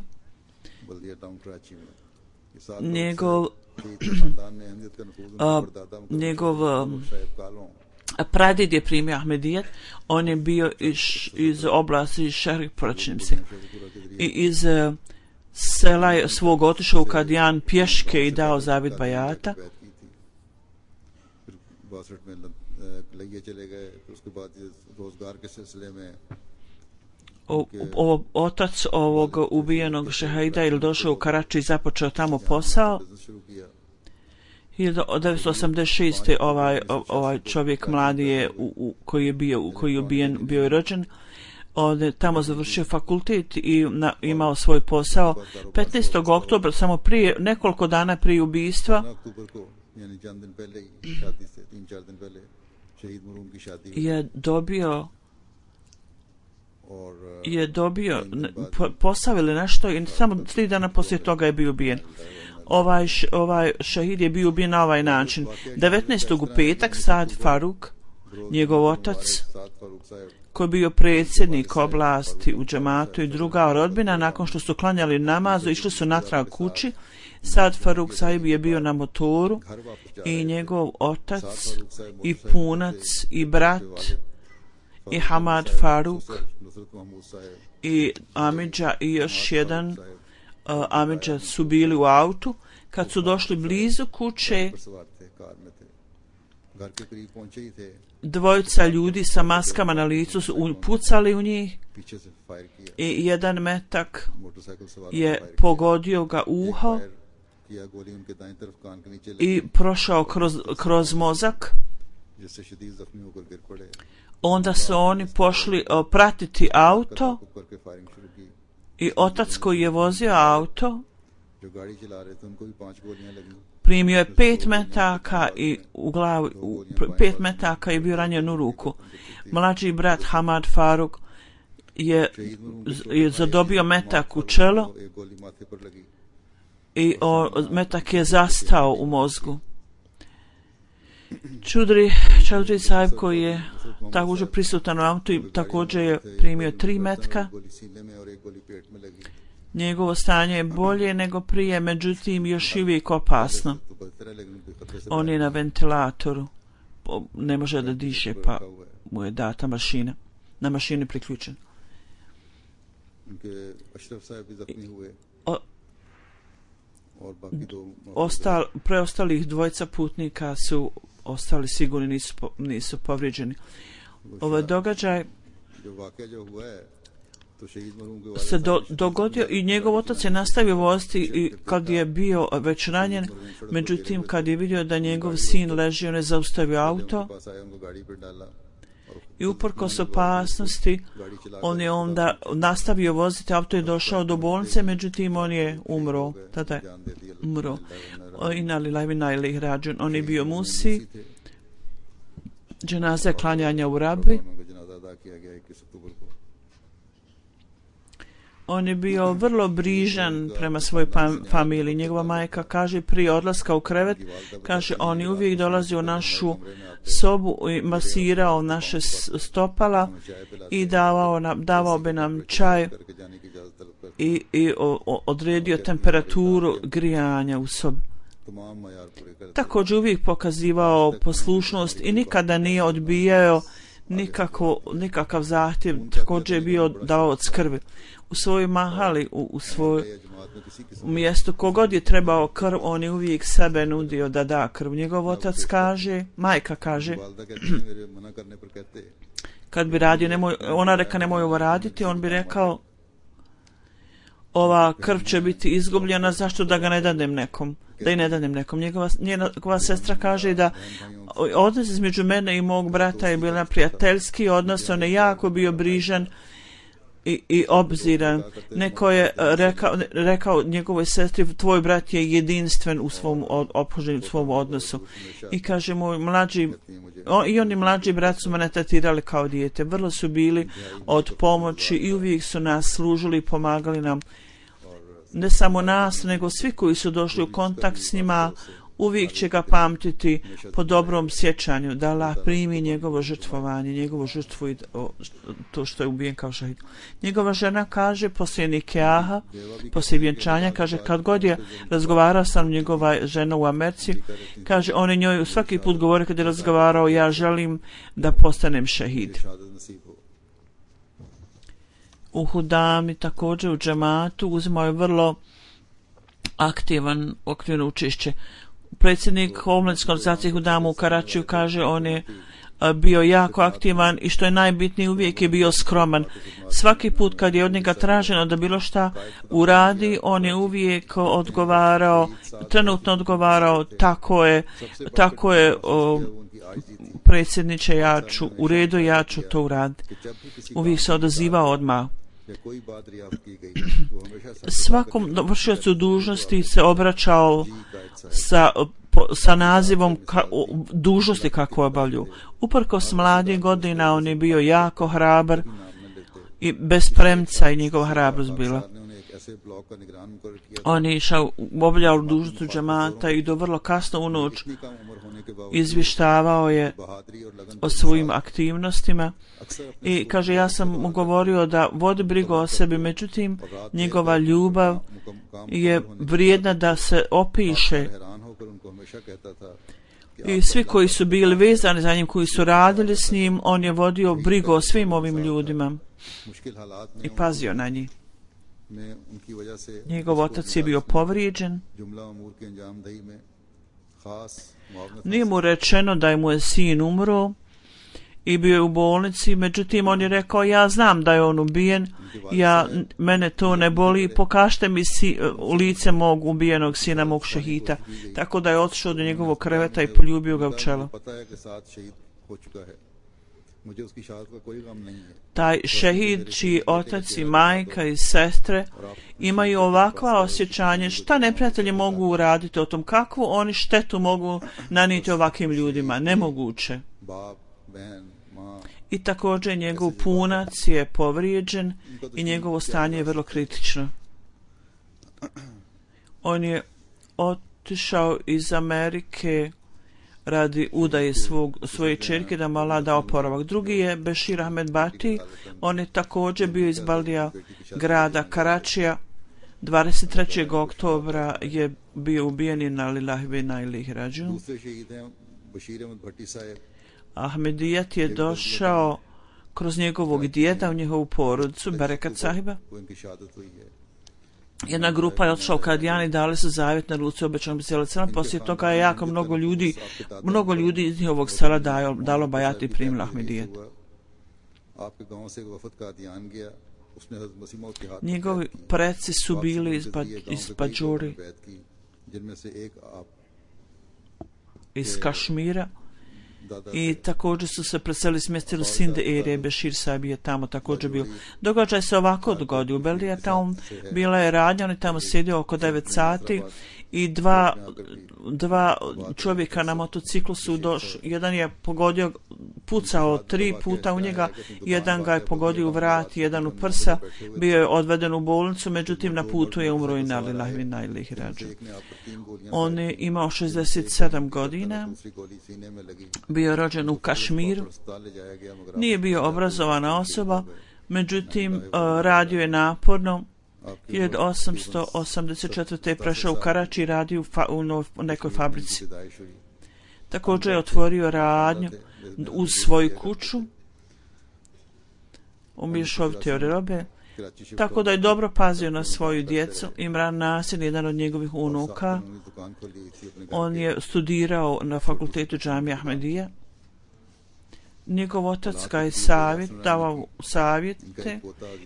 njegov pradjed je primio Ahmedijet. On je bio iz oblasti Šehrih Pročimsi i iz sela svog otišao u Kadijan pješke i dao zavjet bajata लगे चले गए तो उसके बाद रोजगार के सिलसिले में otac ovog ubijenog šehida ili došao u Karači i započeo tamo posao. 1986. ovaj čovjek mladi je koji je ubijen bio je rođen. On je tamo završio fakultet i imao svoj posao. 15. oktobra, samo prije nekoliko dana prije ubistva, je dobio posao ili nešto i samo 3 dana poslije toga je bio ubijen. Ovaj šehid je bio ubijen na ovaj način. 19. u petak Saad Faruk, njegov otac, koji je bio predsjednik oblasti u džematu i druga rodbina, nakon što su klanjali namazu, išli su natrag kući. Saad Faruk sahib je bio na motoru i njegov otac i punac i brat i Hamad Faruk i Amidža i još jedan Amidža su bili u autu. Kad su došli blizu kuće, dvojica ljudi sa maskama na licu su pucali u njih i jedan metak je pogodio ga uho i prošao kroz mozak. Onda su oni pošli pratiti auto i otac koji je vozio auto primio je 5 metaka i u glavu 5 metaka je bio ranjen u ruku. Mlađi brat Hamad Faruk je zadobio metak u čelo i metak je zastao u mozgu. Čaudri sahib koji je također prisutan u autu i također je primio 3 metka. Njegovo stanje je bolje nego prije, međutim još uvijek opasno. On je na ventilatoru, ne može da diše, pa mu je data mašina, na mašini priključen. Preostalih dvojica putnika su ostali sigurni, nisu povrijeđeni. Ovaj događaj se dogodio i njegov otac je nastavio voziti i kad je bio već ranjen, međutim kad je vidio da njegov sin leži, on je zaustavio auto i uprkos opasnosti on je onda nastavio voziti, auto je došao do bolnice, međutim on je umro, tada je umro. On je bio musi, dženaza klanjanja u Rabi. On je bio vrlo brižan prema svojoj familiji. Njegova majka kaže prije odlaska u krevet, kaže on je uvijek dolazio u našu sobu i masirao naše stopala i davao bi nam čaj i odredio temperaturu grijanja u sobi. Također uvijek pokazivao poslušnost i nikada nije odbijao nikakav zahtjev, također je bio dao od skrbi. U svojoj mahali, u svoj mjestu, kogod je trebao krv, on je uvijek sebe nudio da da krv. Njegov otac kaže, majka kaže, kad bi radio, ona reka nemoj ovo raditi, on bi rekao, ova krv će biti izgubljena, zašto da ga ne dadem nekom, da i ne dadem nekom. Njegova sestra kaže da odnos između mene i mog brata je bio prijateljski odnos, on je jako bio brižan i obziran. Neko je rekao njegovoj sestri, tvoj brat je jedinstven u svom ophođenju, u svom odnosu. I kaže moj i oni mlađi brat su mene tretirali kao dijete. Vrlo su bili od pomoći i uvijek su nas služili i pomagali nam. Ne samo nas, nego svi koji su došli u kontakt s njima, uvijek će ga pamtiti po dobrom sjećanju, da Allah primi njegovo žrtvovanje, njegovu žrtvu i to što je ubijen kao šahid. Njegova žena kaže, poslije nikaha, poslije vjenčanja, kaže, kad god je razgovarao sam njegova žena u Americi, kaže, on je njoj svaki put govori kad je razgovarao, ja želim da postanem šahid. U Hudami, također u džematu, uzimao je vrlo aktivno učešće. Predsjednik omladinske organizacije Hudamu u Karačiju kaže, on je bio jako aktivan i što je najbitnije uvijek je bio skroman. Svaki put kad je od njega traženo da bilo šta uradi, on je uvijek odgovarao, trenutno odgovarao, tako je predsjedniče, u redu, ja ću to uraditi. Uvijek se odazivao odmah. Svakom vršiocu dužnosti se obraćao sa nazivom dužnosti kako obavlju. Uprkos mladih godina on je bio jako hrabar i bez premca i njegova hrabrost bila. On je obavljao dužnost džemata i do vrlo kasno u noć izvještavao je o svojim aktivnostima i kaže, ja sam mu govorio da vodi brigu o sebi, međutim njegova ljubav je vrijedna da se opiše. I svi koji su bili vezani za njim, koji su radili s njim, on je vodio brigu o svim ovim ljudima i pazio na njih. Njegov otac je bio povrijeđen. Nije mu rečeno da je mu sin umro i bio je u bolnici, međutim on je rekao, ja znam da je on ubijen, mene to ne boli, pokažite mi u lice mog ubijenog sina, mog šehita. Tako da je otišao do njegovog kreveta i poljubio ga u čelo. Taj šehid čiji otac i majka i sestre imaju ovakva osjećanje šta neprijatelji mogu uraditi o tom, kakvu oni štetu mogu nanijeti ovakvim ljudima, nemoguće. I također njegov punac je povrijeđen i njegovo stanje je vrlo kritično. On je otišao iz Amerike radi udaje svoje čerke da mu Allah da oporavak. Drugi je Bešir Ahmed Bati, on je također bio iz Baldija grada Karačija. 23. oktobra je bio ubijen i na lillahi ve inna ilaihi rađiun. Ahmedijat je došao kroz njegovog djeda u njegovu porodicu, Berekat sahiba. Jedna grupa je otišla u Kadijan i dali su zavjet na ruci obećanom sela. Poslije toga je jako mnogo ljudi iz njihovog sela dalo bajati i primilo Ahmedijat. Njegovi preci su bili iz Bajuri, iz Kašmira, i također su se preselili, smjestili u Sinde erije. Bešir Sabi je tamo također bio. Događaj se ovako dogodio. U Beldija tamo bila je radnja, on je tamo sjedio oko 9 sati i dva čovjeka na motociklu su došli. Jedan je pogodio, pucao 3 puta u njega, jedan ga je pogodio u vrat, jedan u prsa, bio je odveden u bolnicu, međutim na putu je umro i na lillahi ve inna ilaihi rađiun. On je imao 67 godina, bio rođen u Kašmiru, nije bio obrazovana osoba, međutim radio je naporno. 1884. je prešao u Karači i radio u nekoj fabrici. Također je otvorio radnju uz svoju kuću u mješovitoj robe, tako da je dobro pazio na svoju djecu. Imran Nasir, jedan od njegovih unuka, on je studirao na fakultetu Džamija Ahmedija. Njegov otac ga je davao savjete.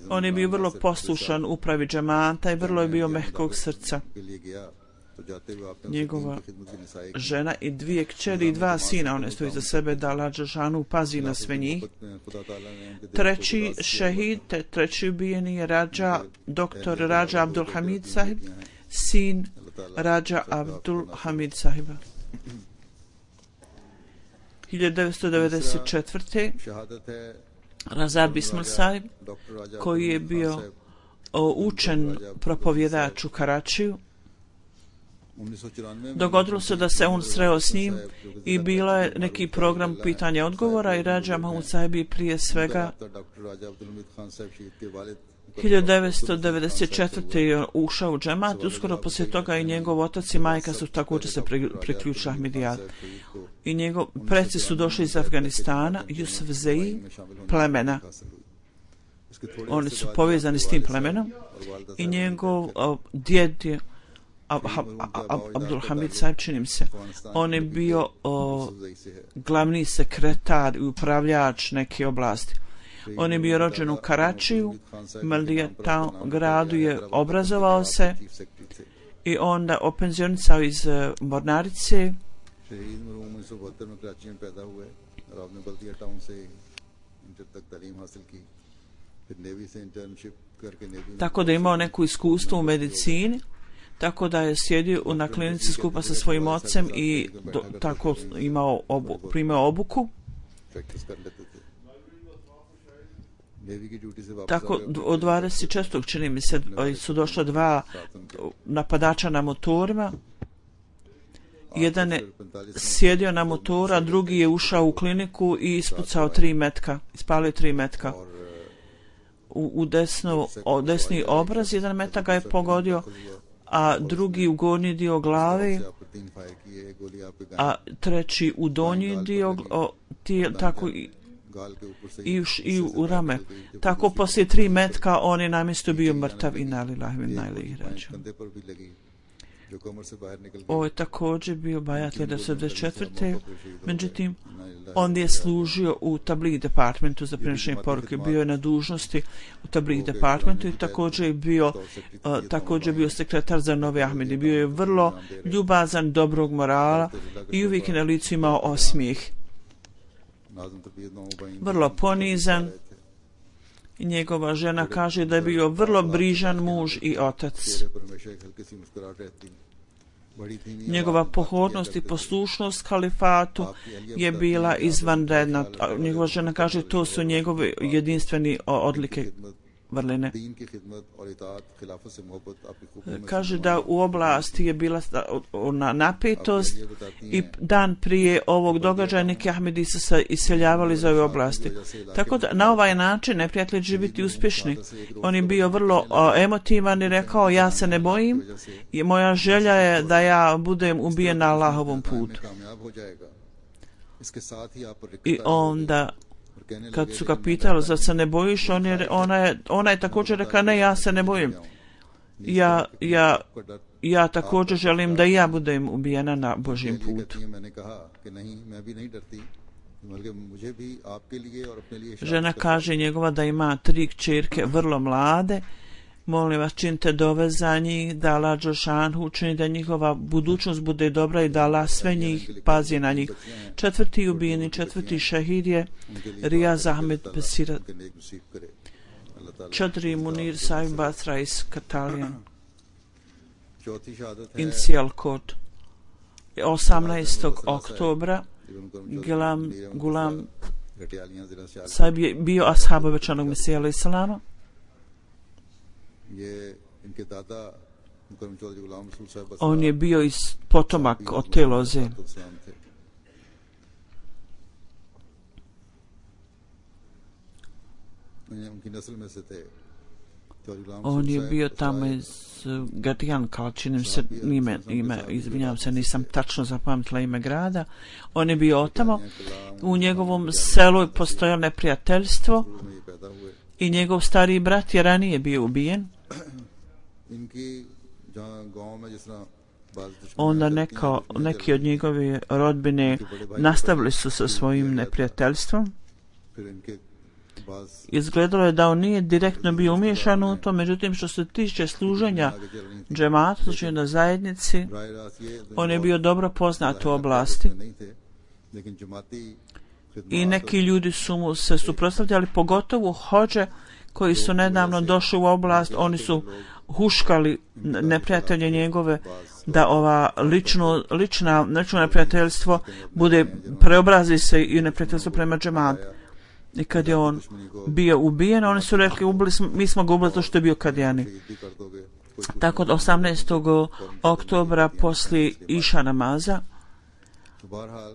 On je bio vrlo poslušan upravi džemata i vrlo je bio mehkog srca. Njegova žena i 2 kćeri i 2 sina, one stoji za sebe, da Allah dželešanu pazi na sve njih. Treći šehid, treći ubijeni je doktor Rađa Abdul Hamid sahib, sin Rađa Abdul Hamid sahiba. 1994. Raza Bismil sahib, koji je bio učen propovjedač u Karačiju, dogodilo se da se on sreo s njim i bila je neki program pitanja i odgovora i Rađa Mahmud sahib je prije svega 1994. je ušao u džemat, uskoro poslije toga i njegov otac i majka su također se priključili Ahmedijatu. I njegov preci su došli iz Afganistana, Jusuf Zei, plemena. Oni su povezani s tim plemenom i njegov djed je Abdul Hamid Saib, činim se. On je bio glavni sekretar i upravljač neke oblasti. On je bio rođen u Karačiju, Maldijatam gradu je obrazovao se i onda openzionicao iz mornarice. Tako da je imao neko iskustvo u medicini, tako da je sjedio na klinici skupa sa svojim ocem i tako primao obuku. Tako od 24. čini mi se su došla 2 napadača na motorima. Jedan je sjedio na motoru, a drugi je ušao u kliniku i ispucao 3 metka, ispalio 3 metka. U desni obraz, 1 metak ga je pogodio, a drugi u gornji dio glave, a treći u donji dio, tako i u rame. Tako poslije 3 metka on je namjesto bio mrtav i nalilahi min ilaihi rađiun. Ovo je također bio bajat 1994. Međutim, on je služio u Tabligh departmentu za prenošenje poruke. Bio je na dužnosti u Tabligh departmentu i također je bio sekretar za Novi Ahmedi. Bio je vrlo ljubazan, dobrog morala i uvijek je na licu imao osmijeh. Vrlo ponizan. I njegova žena kaže da je bio vrlo brižan muž i otac. Njegova pohodnost i poslušnost kalifatu je bila izvanredna. Njegova žena kaže to su njegove jedinstveni odlike vrline. Kaže da u oblasti je bila napetost i dan prije ovog događaja neki Ahmedi su se iseljavali iz ove oblasti. Tako da na ovaj način neprijatelji će biti uspješni. On je bio vrlo emotivan i rekao ja se ne bojim i moja želja je da ja budem ubijen na Allahovom putu. I onda kad su ga pitali zar se ne bojiš, ona je također rekla ne, ja se ne bojim. Ja također želim da ja budem ubijena na Božjem putu. Žena kaže njegova da ima 3 kćerke vrlo mlade. Molim vas, činite dove za njih, da Allah Đelšanhu učini da njihova budućnost bude dobra i da Allah sve njih pazi na njih. 4. ubijeni, 4. šehid je Rijaz Ahmed Besira. 4. Munir Saib Basra iz Katalijan. Inicial kod. 18. oktobra Gulam Saib je bio ashab obećanog Mesija alejhi selama. On je bio iz potomak od te loze. On je bio tamo iz Gadijan, kao činim se ime, izvinjavam se, nisam tačno zapamtila ime grada. On je bio otamo. U njegovom selu je postojalo neprijateljstvo i njegov stariji brat je ranije bio ubijen. Onda neki od njegove rodbine nastavili su sa svojim neprijateljstvom. Izgledalo je da on nije direktno bio umiješan u to, međutim što se tiče služenja džemata, služenja na zajednici, on je bio dobro poznat u oblasti. I neki ljudi su mu se suprotstavljali, pogotovo hođe koji su nedavno došli u oblast, oni su huškali neprijatelje njegove da ova lično neprijateljstvo preobrazi se i neprijateljstvo prema džematu. I kad je on bio ubijen, oni su rekli mi smo ga ubili to što je bio Kadijani. Tako od 18. oktobra poslije iša namaza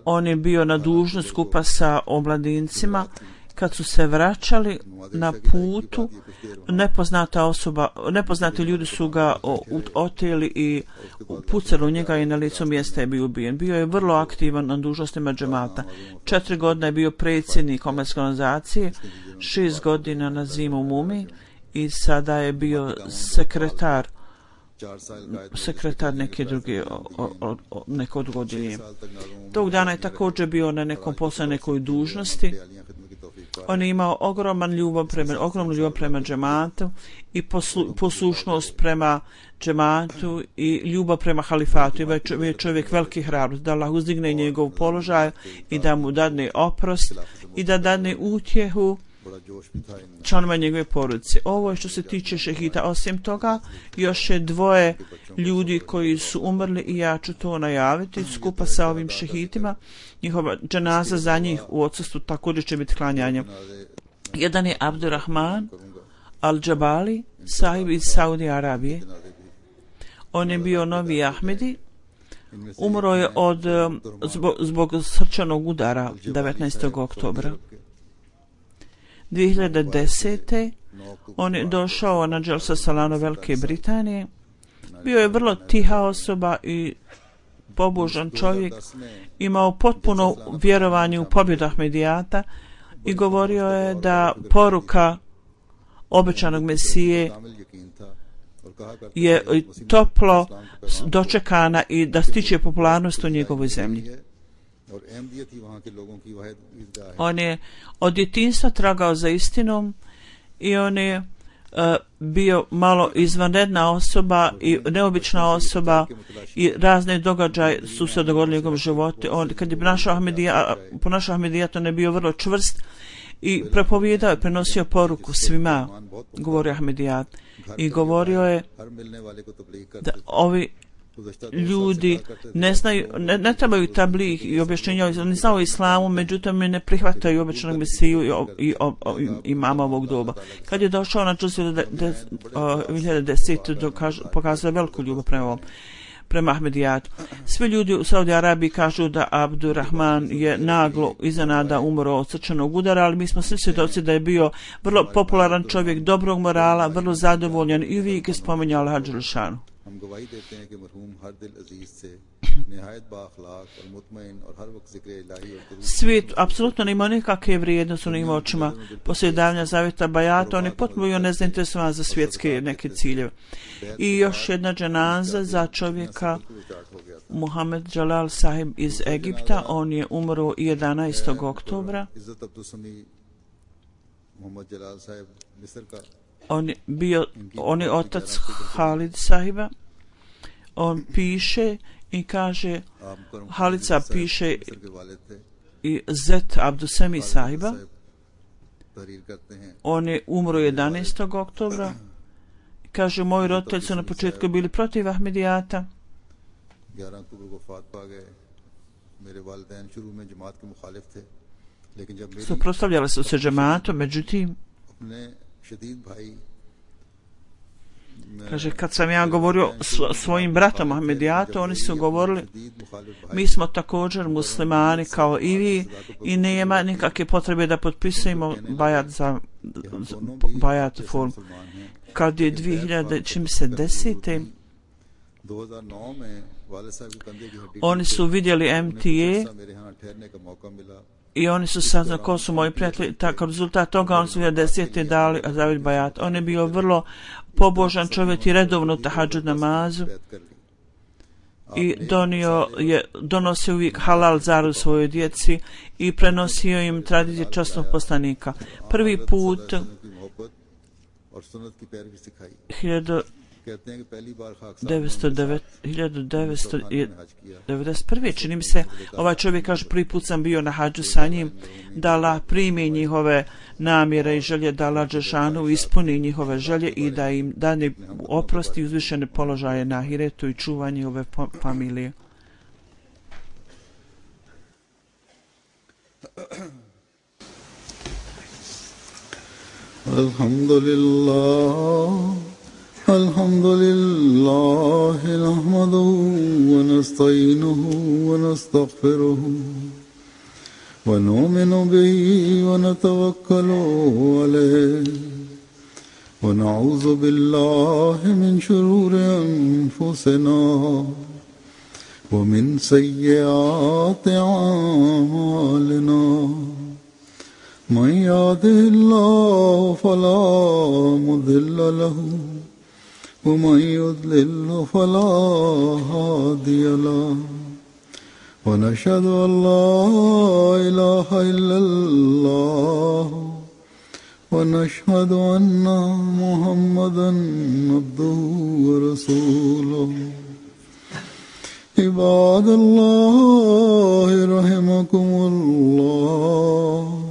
on je bio na dužnosti skupa sa omladincima. Kad su se vraćali na putu, nepoznati ljudi su ga oteli i pucali u njega i na licu mjesta je bio ubijen. Bio je vrlo aktivan na dužnostima džemata. 4 godine je bio predsjednik Omladinske organizacije, 6 godina na zimu u Mumi i sada je bio sekretar sekretar neke druge neko odgodilje. Tog dana je također bio na nekom poslu, nekoj dužnosti. On je imao ogromnu ljubav prema džematu i poslušnost prema džematu i ljubav prema halifatu. Je čovjek veliki hrabrost da Allah uzdigne njegov položaj i da mu dadne oprost i da dadne utjehu članova njegove porodice. Ovo je što se tiče šehida. Osim toga, još je dvoje ljudi koji su umrli i ja ću to najaviti skupa sa ovim šehidima. Njihova dženaza za njih u odsustvu također će biti klanjanje. Jedan je Abdurrahman Al-Džabali, sahib iz Saudi Arabije. On je bio novi Ahmedi. Umro je zbog srčanog udara 19. oktobra. 2010. on je došao na Dželsa Salano Velike Britanije. Bio je vrlo tiha osoba i pobožan čovjek. Imao potpuno vjerovanje u pobjedu Ahmedijata i govorio je da poruka obećanog Mesije je toplo dočekana i da stiče popularnost u njegovoj zemlji. On je od djetinjstva tragao za istinom i on je bio malo izvanredna osoba i neobična osoba i razne događaje su se dogodili u njegovom životu. Kad je ponašao Ahmedijat, on je bio vrlo čvrst i prepovijedao je, prenosio poruku svima, govorio Ahmedijat, i govorio je da ovi ljudi ne trebaju tabligh i objašnjenja, oni znaju o islamu, međutim ne prihvataju običnog Mesiju i imama ovog doba. Kad je došao na Džuzu 2010. pokazao veliku ljubav prema Ahmedijatu. Svi ljudi u Saudi Arabiji kažu da Abdurrahman je naglo iznenada umro od srčanog udara, ali mi smo svi svjedoci da je bio vrlo popularan čovjek, dobrog morala, vrlo zadovoljan i uvijek je spominjao Allaha dželešanu. हम गवाही देते हैं कि मरहूम हर दिल अजीज से निहायत बाअखलाक और मुतमईन और हर वक्त जिक्र इलाही और svijet apsolutno nema nikakve vrijednosti u njim očima. Poslije davanja zavjeta bajata on je potpuno bio nezainteresovan za svjetske neke ciljeve. I još jedna dženaza za čovjeka Muhammed Jalal Sahib iz Egipta. On je umro 11. oktobra. On je otac Halid Sahiba. On piše i kaže, Halica piše i Zet Abdusemi Sahiba. On je umro 11. oktobra. Kaže, moji roditelji su na početku bili protiv Ahmedijata. Suprotstavljali su se džematom, međutim, kaže, kad sam ja govorio svojim bratom Ahmedijatu, oni su govorili, mi smo također muslimani kao i vi i nema nikakve potrebe da potpisujemo bajat form. Kad je 2010. oni su vidjeli MTA i oni su saznali ko su moji prijatelji. Tako rezultat toga oni su 2010. dali Zavid bajat. On je bio vrlo pobožan čovjek i redovno tahadžud namazu i donosio uvijek halal zaru svojoj djeci i prenosio im tradicije časnog poslanika. Prvi put 1991. čini mi se, ovaj čovjek kaže, prvi put sam bio na hađu sa njim, da Allah primi njihove namjere i želje, da Allah dželešanu ispuni njihove želje i da im dane oprosti i uzvišene položaje na ahiretu i čuva njihove familije. Alhamdulillah الحمد لله نحمده ونستعينه ونستغفره ونؤمن به ونتوكل عليه ونعوذ بالله من شرور أنفسنا ومن سيئات أعمالنا من يهده الله فلا مضل له ومن يضلل فلا هادي له ونشهد أن لا إله إلا الله ونشهد أن محمدا عبده ورسوله عباد الله رحمكم الله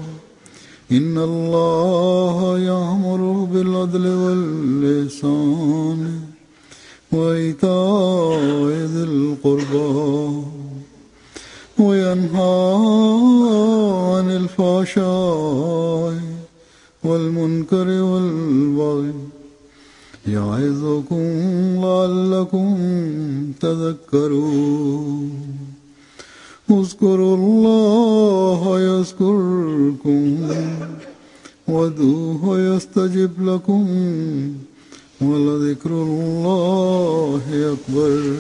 إن الله يأمر بالعدل والإحسان وإيتاء ذي القربى وينهى عن الفحشاء والمنكر والبغي يعظكم لعلكم تذكرون اذكروا الله يذكركم وادعوه يستجب لكم ولذكر الله أكبر